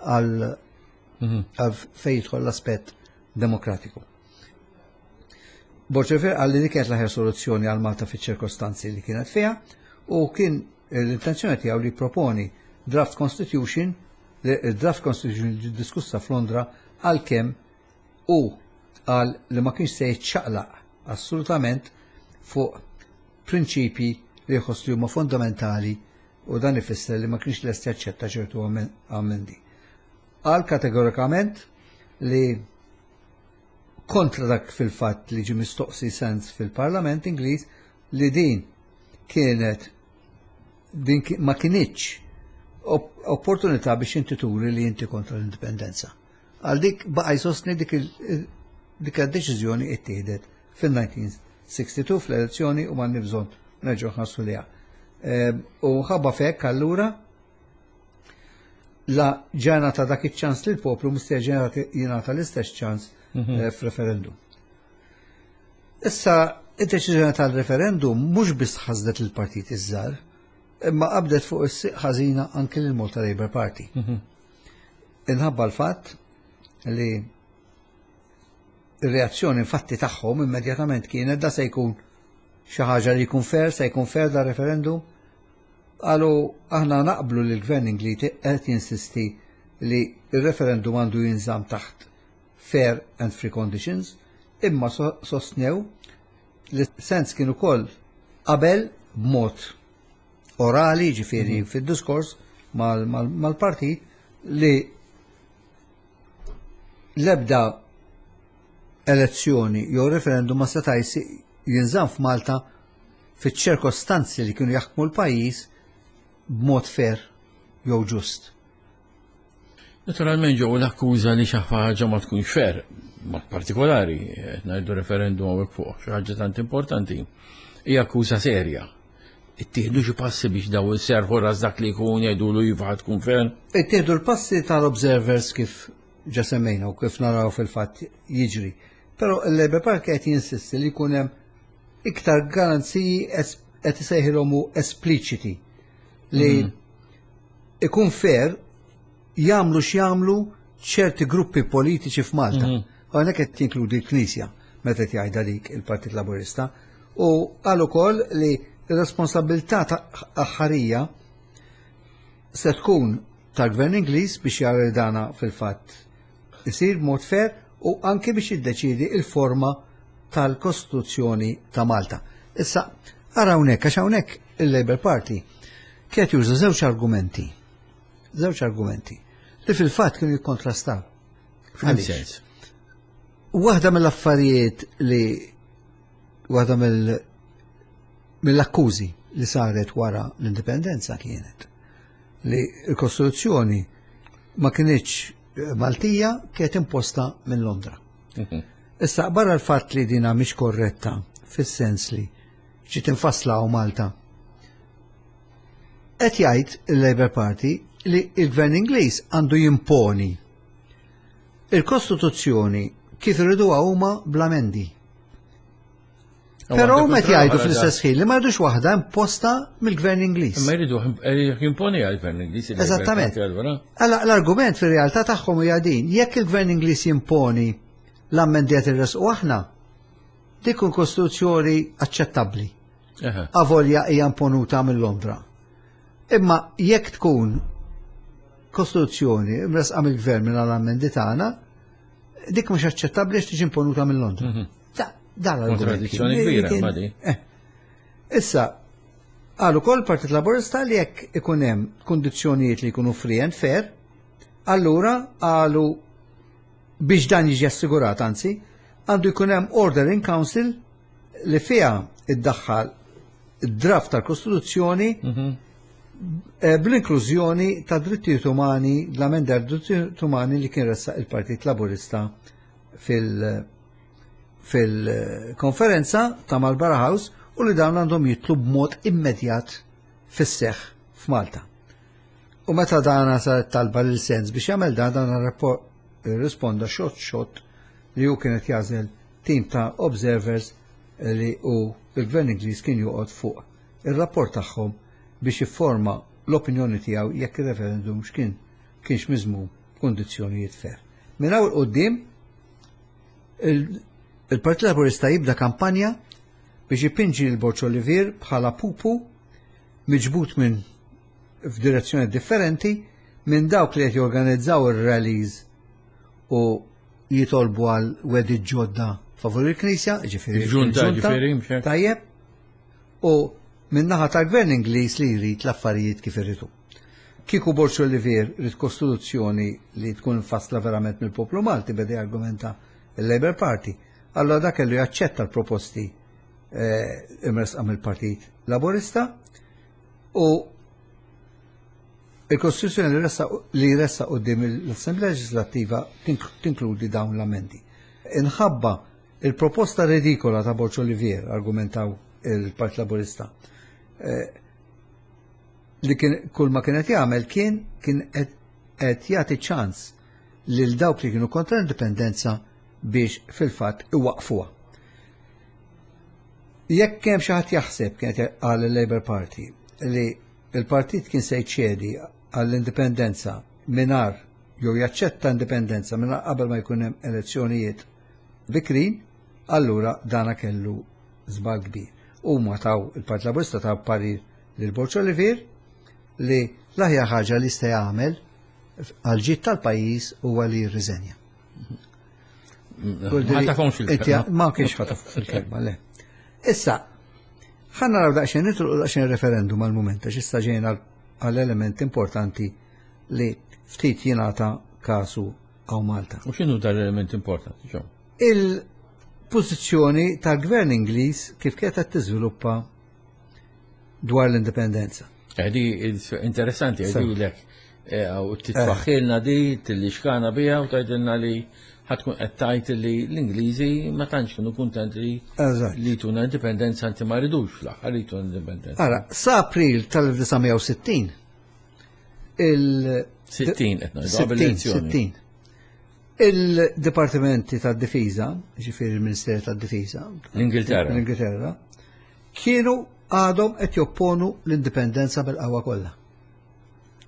għal mhm. fejn jidħol l-aspett demokratiku. Borg Olivier qal li dik kienet l-aħjar soluzzjoni għal Malta fiċ-ċirkostanzi li kienet fiha u kien l-intenzjoni tiegħu li proponi draft constitution, draft constitution li diskussa f'Londra għalkemm u qal li ma kienx se jiċċaqlaq assolutament fuq prinċipji li jħoss li huma fundamentali u dan ifisser li ma kienx lest jaċċetta ċertu ammendi. Qal kategorikament li kontra dak fil-fatt li ġie mistoqsi Sands fil-Parlament Ingliż li din kienet din ma kinitx opportunità biex inti turi li inti kontra l-indipendenza. Għal dik baqa' jsostni dik dik id-deċiżjoni ittieħdet fil-1962 fl-elezzjoni u m'għandni bżonn nerġgħu nħarsu liha. Ehm, u ħabba fekk allura la ġena ta' dak iċ-ċans li l-poplu mistenni jingħata l-istess ċans mhm. eh, f'referendum. Issa, id-deċiżjoni tal-referendum mhux biss ħasdet il-partit iż-żgħar, imma qabdet fuq is-siq ħażina anke lil Malta Labour Party. Mhm. Inħabba l-fatt li ir-reazzjoni infatti tagħhom immedjatament kienet da se jkun xi ħaġa li jkun fair, se jkun fair da referendum. Qalu aħna naqblu li l-gvern Ingliż qed jinsisti li r-referendum għandu jinżamm taħt fair and free conditions, imma sostnew li sens kien ukoll qabel b'mod orali, ġifieri mhm. fid-diskors mal-partit li l-ebda elezzjoni jew referendum ma seta' jinżamm f'Malta fiċ-ċirkostanzi li kienu jaħkmu l-pajjiż b'mod fair jew ġust. Naturalment ġew l-akkuża li xi ħaġa ma tkunx fair, mod partikolari, qed ngħidu referendum hawnhekk fuq xi ħaġa tant importanti, hija akkuża serja. Ittieħdu xi passi biex daw iserħu ras dak li jkun jgħidulu iva tkun fair? Ittieħdu l-passi tal-observers kif ġa semmejna u kif naraw fil-fatt jiġri. Però il-Labour Party qed jinsisti li jkun hemm iktar garanziji qed isejħilhom espliċiti li mhm. ikun fair jagħmlu x'jagħmlu ċerti gruppi politiċi f'Malta. Mhm. Hawnhekk qed jinkludi l-Knisja meta qed jgħidha dik il-Partit Laburista. U qal ukoll li r-responsabilità ta' aħħarija se tkun tal-Gvern Ingliż biex jara li dana fil-fatt isir b'mod fair u anke biex jiddeċiedi il-forma tal-Kostituzzjoni ta' Malta. Issa, ara hawnhekk għax hawnhekk il-Labour Party kienet juża żewġ argumenti. Żewġ argumenti li fil-fatt kienu jikkontrastaw. Għaliex? Waħda mill-affarijiet li waħda mill-akkużi li saret wara l-indipendenza kienet li l-Kostituzzjoni ma kinitx eh, Maltija kienet imposta minn Londra. Mhm. Issa barra l-fatt li dina mhix korretta fis-sens li ġiet infassla u Malta. Qed jgħid il-Labour Party li il-Gvern Ingliż għandu jimponi il-Kostituzzjoni kif iriduha huma bl-amendi. Però meta jgħidu fl-istess ħin li ma jridux waħda imposta mill-Gvern Ingliż. Ma jridu jimponi għall-Gvern Ingliż. Eżattament. Alla l-argument fir-realtà tagħhom hija din, jekk il-Gvern Ingliż jimponi l-ammendi qed irresqu aħna, dik kun kostituzzjoni aċċettabbli. Avolja hija imponuta minn Londra. Imma jekk tkun kostituzzjoni mresqa mill-gvern minn l-ammendi tagħna, dik mhux aċċettabbli għax tiġi imponuta minn Londra. Mhm. Dan l-argument. Kontradizzjoni kbira, ma di. Eh. Issa, qal ukoll Partit Laburista li jekk ikun hemm kundizzjonijiet li jkunu free and fair, allura qalu biex dan jiġi assigurat, anzi, għandu jkun hemm order in council li fiha iddaħħal id-draft tal-Kostituzzjoni mhm. eh, bl-inklużjoni ta' drittijiet umani, l-amenda drittijiet umani li kien ressaq il-Partit Laburista fil- fil-konferenza ta' Marlborough House u li dawn għandhom jitlu b'mod immedjat fis-seħ f'Malta. U meta dana saret talba lil sens biex jagħmel dan dan risponda xott xott li hu kienet jażel tim ta' observers li u il-Gvern Ingliż kien joqgħod fuq ir-rapport tagħhom biex jifforma l-opinjoni tiegħu jekk ir-referendum x'kien kienx miżmum b'kundizzjonijiet fair. Minn hawn quddiem il-Partit Laburista jibda kampanja biex ipinġi l Borġ Olivier bħala pupu miġbud minn f'direzzjoni differenti minn dawk li qed jorganizzaw ir-rallies u jitolbu għal wedi ġodda favur il-Knisja, ġifieri. Il-ġunta, ġifieri, Tajjeb. U min-naħa tal-Gvern Ingliż li jrid l-affarijiet kif irridu. Kieku Borg Olivier ried kostituzzjoni li tkun imfassla verament mill-poplu Malti beda jargumenta il-Labour Party, allura dak kellu jaċċetta l-proposti eh, imresqa mill-Partit Laburista u il-Kostituzzjoni li ressa qudiem l-Assemblea Leġislattiva tinkludi dawn l-amendi. Inħabba il-proposta ridikola ta' Borg Olivier, argumentaw il-Partit Laburista, eh, li kien kull ma kienet jagħmel kien kien qed jagħti ċans lil dawk li kienu kontra l-indipendenza biex fil-fatt iwaqfuha. Jekk hemm xi ħadd jaħseb kienet qal il-Labour Party li il-partit kien se jċedi għall-indipendenza mingħajr jew jaċċetta indipendenza mingħajr qabel ma jkun hemm elezzjonijiet bikrin, allura dana kellu żball kbir. Huma taw il-Partit Laburista taw parir lil Borg Olivier li l-aħjar ħaġa li jista' jagħmel għal ġid tal-pajjiż huwa li jirriżenja. Ma tafhomx il-kelma. Ma kienx ħataf il-kelma, le. Issa, ħa naraw daqsxejn nitilqu daqsxejn referendum għal-mument, għax issa ġejna għall-element importanti li ftit jingħata kasu hawn Malta. U x'inhu dal-element importanti, ġo? Il-pożizzjoni tal-gvern Ingliż kif kienet qed tiżviluppa dwar l-indipendenza. Di interessanti, għedilek, eh, u titfaħħilna di, tillixkana biha u tgħidilna li ħatkun qed tgħid li l-Ingliżi ma tantx kienu kuntenti li tuna indipendenza anti ma ridux fl-aħħar li tuna indipendenza. Ara, sa April tal-1960 il 60 qed ngħidu 60. Il-Dipartimenti tad-Difiża, ġifieri il-Ministeru tad-Difiża, l-Ingilterra, l-Ingilterra, kienu għadhom qed jopponu l-indipendenza bil-qawwa kollha.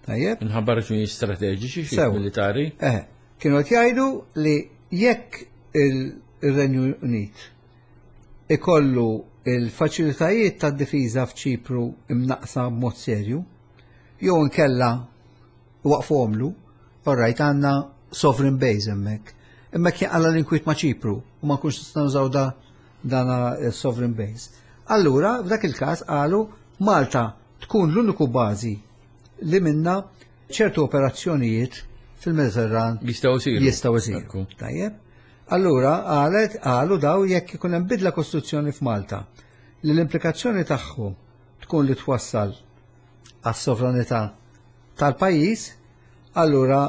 Tajjeb? Minħabba raġunijiet strateġiċi xi militari. Eh, kienu qed jgħidu li jekk il-Renju Unit ikollu il-faċilitajiet tad-difiża f'Ċipru imnaqsa b'mod serju, jew inkella waqfomlu, all right, għandna sovereign base hemmhekk. Imma kien għalla l-inkwiet ma' Ċipru u ma nkunx nistgħu nużaw da dana sovereign base. Allura, f'dak il-każ qalu Malta tkun l-uniku bażi li minna ċertu operazzjonijiet fil-Mediterran jistgħu jsiru. Jistgħu jsiru. Tajjeb. Allura qalet qalu daw jekk ikun hemm bidla kostituzzjoni f'Malta li l-implikazzjoni tagħhom tkun li twassal għas-sovranità tal-pajjiż, allura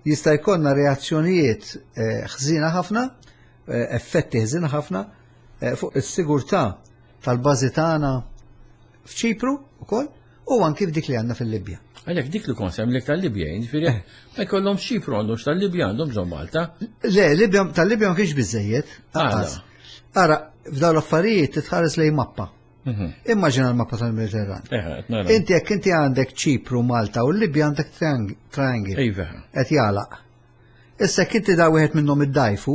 jista' jkollna reazzjonijiet eh, ħżina ħafna, eh, effetti ħżina ħafna eh, fuq is-sigurtà tal-bażi tagħna f'Ċipru ukoll u anki f'dik li għandna fil-Libja. Għalhekk dik li kont semmlek tal-Libja, jiġifieri eh. ma jkollhom Ċipru għandhom tal-Libja għandhom bżonn Malta. Le, Libja tal-Libja ma kienx biżejjed. Ara, f'dawn l-affarijiet titħares lejn mappa. Mhm. Immaġina l-mappa tal-Mediterran. Eh, inti jekk inti għandek Ċipru, Malta u l-Libja għandek triangle. Iva. Qed jagħlaq. Issa jekk inti da wieħed minnhom iddajfu,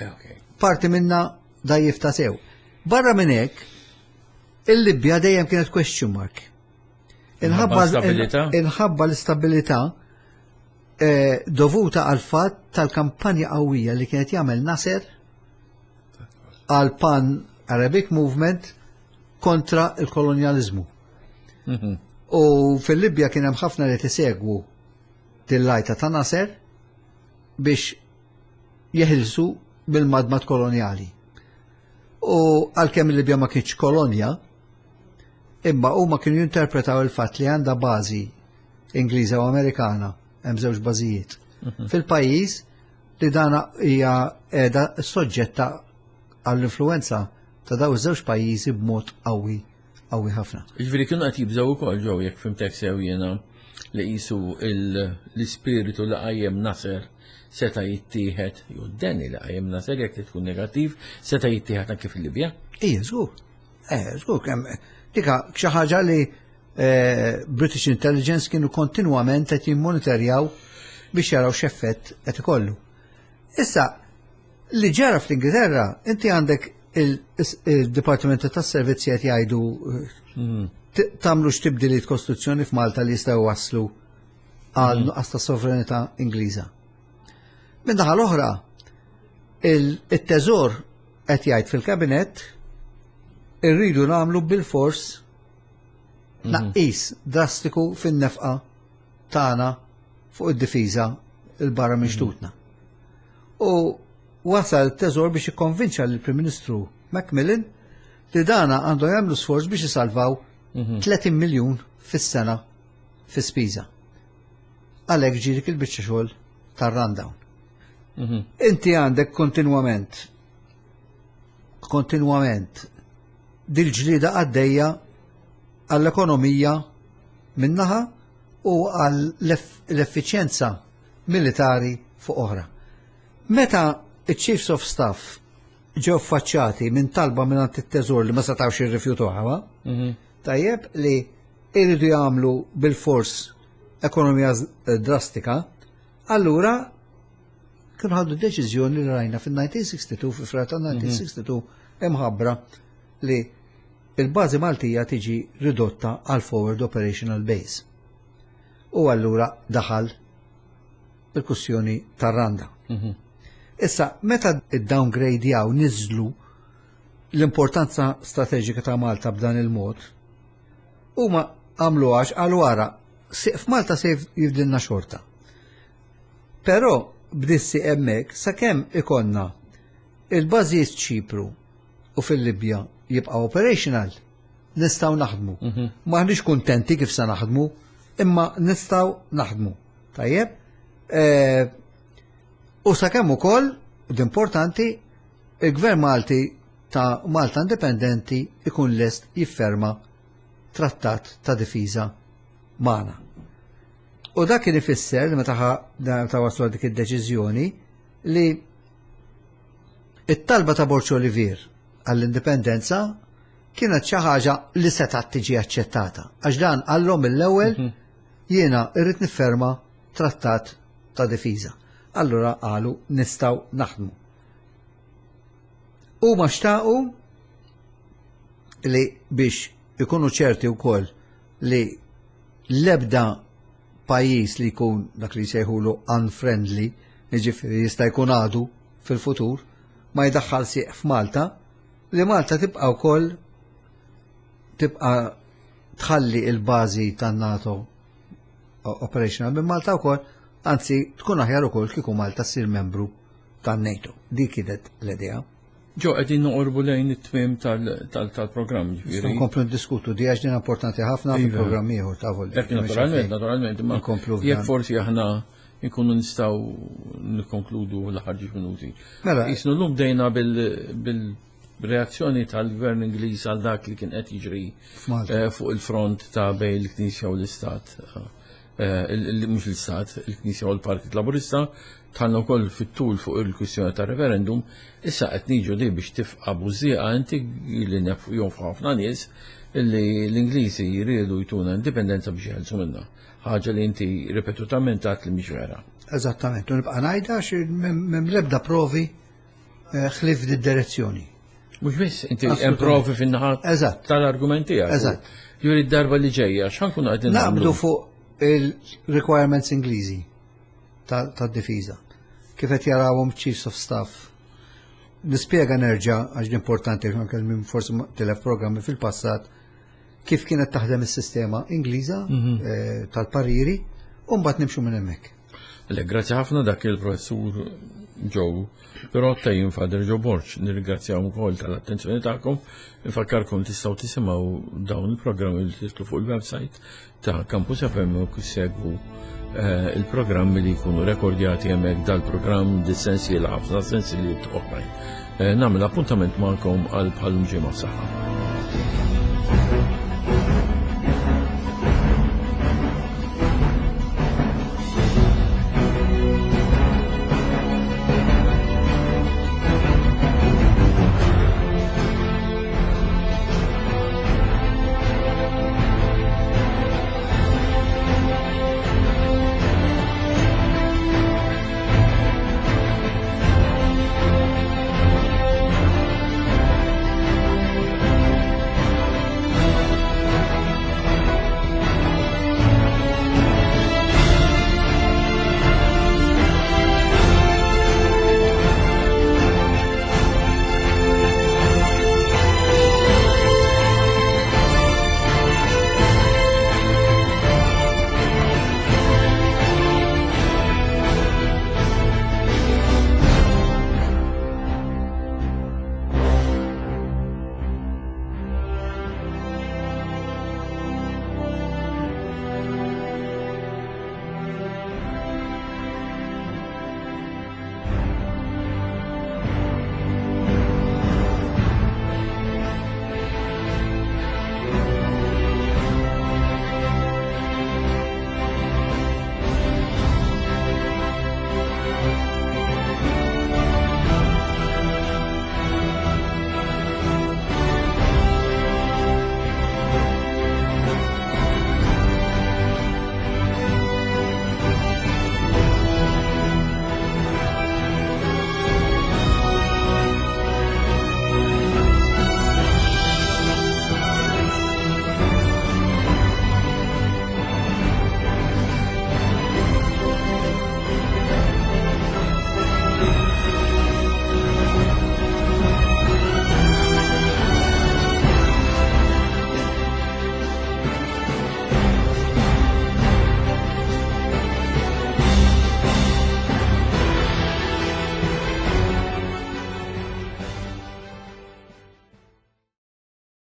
eh, parti minna dajjif ta' sew. Barra minn hekk, il-Libja dejjem kienet question mark. Inħabba l-istabilità eh, dovuta għal fatt tal-kampanja qawwija li kienet jagħmel Nasser għal Pan Arabic Movement kontra il-kolonjalizmu. Mhm. U fil-Libja kien hemm ħafna li tisegwu til-lajta ta' Nasser biex jeħilsu mill-madmat kolonjali. U għalkemm il-Libja ma kienx kolonja, imma huma kienu jinterpretaw il-fatt li għandha bażi Ingliża u Amerikana, hemm żewġ bażijiet. Mhm. Fil-pajjiż li dana hija qiegħda soġġetta għall-influenza ta' daw iż-żewġ pajjiżi b'mod qawwi qawwi ħafna. Jiġifieri kienu qed jibżgħu wkoll ġew jekk fimtek sew jiena li qisu l-ispiritu li qajjem Nasser seta' jittieħed, jew d-deni li qajjem Nasser jekk tkun negattiv, seta' jittieħed anke fil-Libja. Ija, żgur. Eh, żgur kemm dika xi ħaġa li eh, British Intelligence kienu kontinwament qed jimmonitorjaw biex jaraw x'effett qed ikollu. Issa, li ġara fl-Ingilterra, inti għandek il-Dipartimenti tas-Servizzi qed jgħidu hmm. tagħmlux tibdiliet kostituzzjoni f'Malta li jistgħu waslu għal hmm. nuqqas ta' sovranità Ingliża. Minn naħa l-oħra, il-teżor qed jgħid fil-kabinett irridu nagħmlu bil-fors Tnaqqis drastiku fin-nefqa tagħna fuq id-difiża 'l barra minn xtutna. U wasal it-Teżor biex ikkonvinċa lill-Prim Ministru Macmillan li dana għandhom jagħmlu sforz biex isalvaw 30 miljun fis-sena fi spiża. Għalhekk ġie dik il-biċċa xogħol tar-rundown. Inti għandek kontinwament kontinwament dil-ġlieda għaddejja għall-ekonomija min-naħa u għall-effiċjenza militari fuq oħra. Meta iċ-Chiefs of Staff ġew faċċati minn talba minn it-teżor li ma setgħux jirrifjutuha, tajjeb li iridu jagħmlu bil-fors ekonomija drastika, allura kienu ħadu deċiżjoni li rajna fil-1962, fi Frar ta' 1962, imħabbra li il-bażi Maltija tiġi ridotta għal Forward Operational Base. U allura daħal il-kwistjoni tar-rundown. Issa, meta id-downgrade niżlu l-importanza strateġika ta' Malta b'dan il-mod, huma għamlu għax għal wara, f'Malta se jifdilna xorta. Però b'dissi hemmhekk sakemm ikollna il-bażijiet Ċipru u fil-Libja jibqa' operational, nistgħu naħdmu. Maħniex kuntenti kif se naħdmu, imma nistgħu naħdmu. Tajjeb? U sakemm ukoll, u importanti, il-Gvern Malti ta' Malta Indipendenti ikun lest jifferma trattat ta' difiża magħna. U dak kien ifisser li meta ta' waslu dik id-deċiżjoni li it-talba ta' Borg Olivier għall-indipendenza kienet xi ħaġa li setgħet tiġi aċċettata. Għax dan qallhom mill-ewwel jiena irrid nifferma trattat ta' difiża. Allura qalu nistgħu naħdmu. Huma xtaqu li biex ikunu ċerti wkoll li l-ebda pajjiż li jkun dak li jsejħulu unfriendly, jiġifieri jista' jkun għadu fil-futur, ma jdaħħal sieq f'Malta, li Malta tibqa' wkoll tibqa' tħalli il-bażi tan-NATO operational minn Malta wkoll, anzi tkun aħjar ukoll kieku Malta ssir membru tan-NATO. Dik kienet l-idea. Ġo, qegħdin noqorbu lejn it-tmiem tal-programm. Ġifieri. Nkomplu ndiskutu di għax din importanti ħafna fil-programm ieħor ta' volli. Hekk naturalment, naturalment, imma Nkomplu jekk forsi aħna nkunu nistgħu nikkonkludu l-aħħar ġiex minuti. Mela. Jisnu llum bdejna bil-reazzjoni tal-Gvern Ingliż għal dak li kien qed jiġri fuq il-front ta' bejn il-Knisja u l-Istat. Mhux l-Istat, il-Knisja u l-Partit Laburista, dħalna wkoll fit-tul fuq il-kwistjoni ta' referendum, issa qed niġu li biex tifqa' bużżieqa inti li jonfqu ħafna nies li l-Ingliżi jridu jtuna indipendenza biex jeħelsu minna. Ħaġa li inti ripetutament għedt li mhix vera. Eżattament, u nibqa' ngħidha għax m'hemm l-ebda provi ħlief di-direzzjoni. Mhux biss, inti hemm provi fin-naħa tal-argument tiegħek. Eżatt. Juri d-darba li ġejja, x'ħankunu qegħdin naqbdu fuq il-requirements Ingliżi tad-difiża. Kif qed jarawhom Chiefs of Staff. Nispjega nerġa' għax importanti anke minn forsi tilef programmi fil-passat kif kienet taħdem is-sistema Ingliża tal-pariri u mbagħad nimxu minn hemmhekk. Le, grazzi ħafna dak il-professur Joe Pirotta, jien Father Joe Borg, nirringrazzjaw ukoll tal-attenzjoni tagħkom. Infakkarkom tistgħu tisimgħu dawn il-programmi li titlu fuq il-website ta' Campus FM u segwu il-programmi li jkunu rekordjati hemmhekk dal-programm dis-sensiela ħafna sensiliet oħrajn. Nagħmel appuntament magħkom għal bħal ġimgħa saħħa.